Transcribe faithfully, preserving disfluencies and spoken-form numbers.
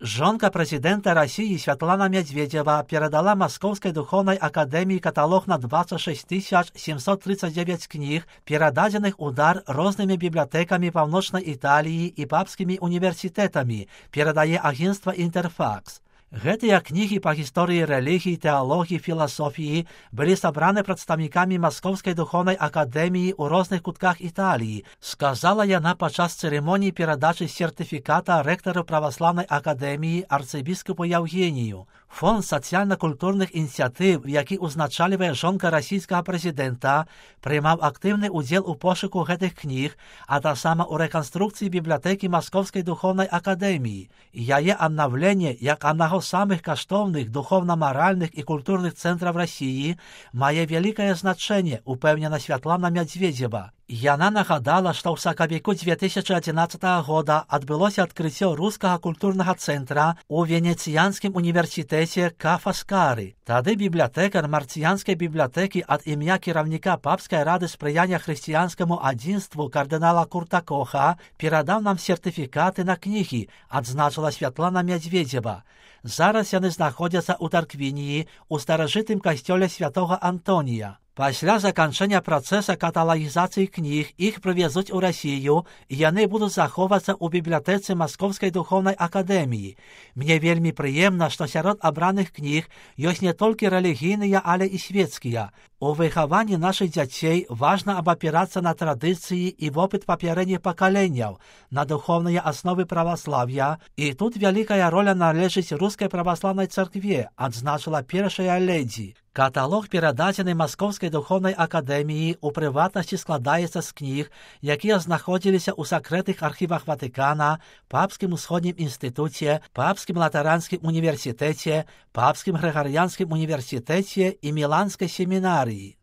Жонка президента России Светлана Медведева передала Московской духовной академии каталог на двадцать шесть тысяч семьсот тридцать девять книг, передаденных удар разными библиотеками Полночной Италии и папскими университетами, передае агентство «Интерфакс». Гэтыя кнігі па гісторыі рэлігіі, тэалогіі, філасофіі былі сабраны прадстаўнікамі Маскоўскай духовнай акадэміі ў розных кутках Італіі, сказала яна падчас цырымоніі перадачы сертыфіката рэктару праваслаўнай акадэміі арцыбіскупу Яўгенію. Фонд сацыяльна-культурных ініцыятыў, які ўзначальвае жонка расійскага прэзідэнта, прымаў актыўны ўдзел у пошуку гэтых кніг, а таксама ў рэканструкцыі бібліятэкі Маскоўскай духовнай акадэміі. Яе аднаўленне, як аднаго з самых каштоўных духовна-маральных і культурных цэнтраў Расіі, мае вялікае значэнне, упэўнена Святлана Медведзева. Яна нагадала, што ў сакавіку две тысячи адзінаццатага года адбылося адкрыццё рускага культурнага цэнтра ў венецыянскім універсітэце Ка Фаскары. Тады бібліятэкар марцыянскай бібліятэкі ад імя кіраўніка папскай рады спрыяння хрысціянскаму адзінству кардынала Курта Коха перадаў нам сертыфікаты на кнігі, адзначыла Святлана Медведзева. Зараз яны знаходзяцца ў Тарквініі, у старажытым касцёле святога Антонія. Пасля заканчэння працэса каталагізацыі кніг іх прывезуць у Расію, і яны будуць захоўвацца ў бібліятэцы Маскоўскай духовнай акадэміі. Мне вельмі прыемна, што сярод абраных кніг ёсць не толькі рэлігійныя, але і свецкія. У выхаванні нашых дзяцей важна абапірацца на традыцыі і вопыт папярэдніх пакаленняў, на духовныя асновы праваслаўя, і тут вялікая роля належыць рускай праваслаўнай царкве, адзначыла першая ледзі. Каталог, перададзены Маскоўскай духовнай акадэміі, у прыватнасці складаецца з кніг, якія знаходзіліся ў сакрэтных архівах Ватыкана, Папскім усходнім інстытуце, Папскім латаранскім універсітэце, Папскім грыгарыянскім універсітэце і Міланскай семінарыі.